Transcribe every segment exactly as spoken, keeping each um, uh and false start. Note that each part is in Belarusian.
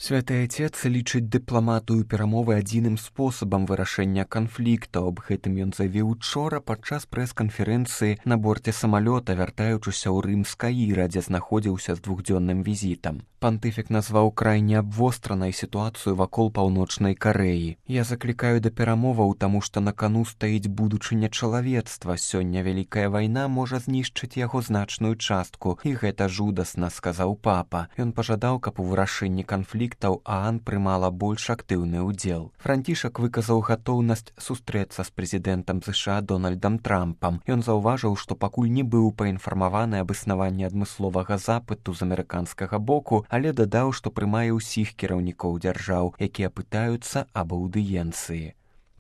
Святы Отец лічыць дыпламатыю перамовы адзіным спосабам вырашэння канфлікту. Аб гэтым ён заявіў учора падчас прэс-канферэнцыі на борце самалёта, вяртаючыся ў Рым з Каіра, дзе знаходзіўся з двухдзённым візітам. Пантыфік назваў крайне абвостранай сітуацыю вакол Паўночнай Карэі. «Я заклікаю да перамоваў, таму што на кану стаіць будучыня чалавецтва. Сёння вялікая вайна можа знішчыць яго значную частку, і гэта жудасна», — сказаў папа. Ён пажадаў, каб у вырашэнні канфліктаў ААН прымала больш актыўны ўдзел. Францішак выказаў гатоўнасць сустрэцца з прэзідэнтам ЗША Дональдам Трампам. Ён заўважыў, што пакуль не быў паінфармаваны аб існаванні адмысловага запыту з амерыканскага боку, але дадаў, што прымае ўсіх кіраўнікоў дзяржаў, якія пытаюцца аб аўдыенцыі.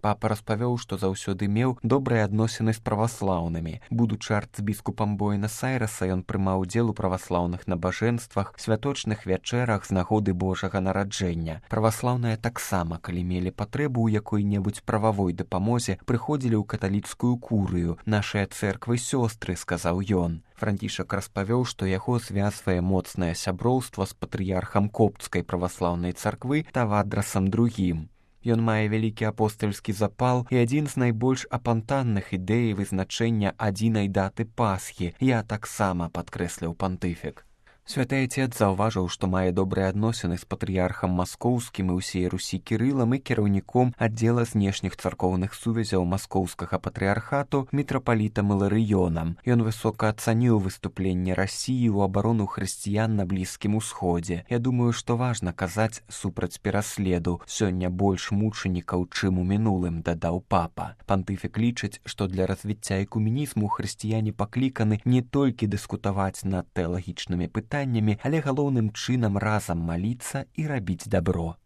Папа распавёў, што заўсёды меў добрыя адносіны з праваслаўнымі. Будучы арцбіскупам Буэнас-Айрэса, ён прымаў удзел у праваслаўных набажэнствах, святочных вячэрах з нагоды Божага нараджэння. Праваслаўныя таксама, калі мелі патрэбу ў якой-небудзь прававой дапамозе, прыходзілі ў каталіцкую курыю. «Нашыя цэрквы сёстры», — сказаў ён. Францішак распавёў, што яго звязвае моцнае сяброўства з патрыярхам Коптскай праваслаўнай царквы Тавадрасам другім. Ён мае вялікі апостальскі запал і адзін з найбольш апантанных ідэй вызначэння адзінай даты Пасхі. «Я таксама», — падкрэсліў пантыфік. Святы Отец заўважыў, што мае добрыя адносіны з патрыярхам маскоўскім і ўсей Русі Кірылам і кіраўніком аддзела знешніх царкоўных сувязяў маскоўскага патрыярхату мітрапалітам Іларыёнам. Ён высока ацаніў выступленне Расіі ў абарону хрысціян на Блізкім Усходзе. «Я думаю, што важна казаць супраць пераследу. Сёння больш мучанікаў, чым у мінулым», — дадаў папа. Пантыфік лічыць, што для развіцця экуменізму хрысціяне пакліканы не толькі дыскутаваць над тэалагічнымі пытаннямі, але галоўным чынам разам маліцца і рабіць дабро.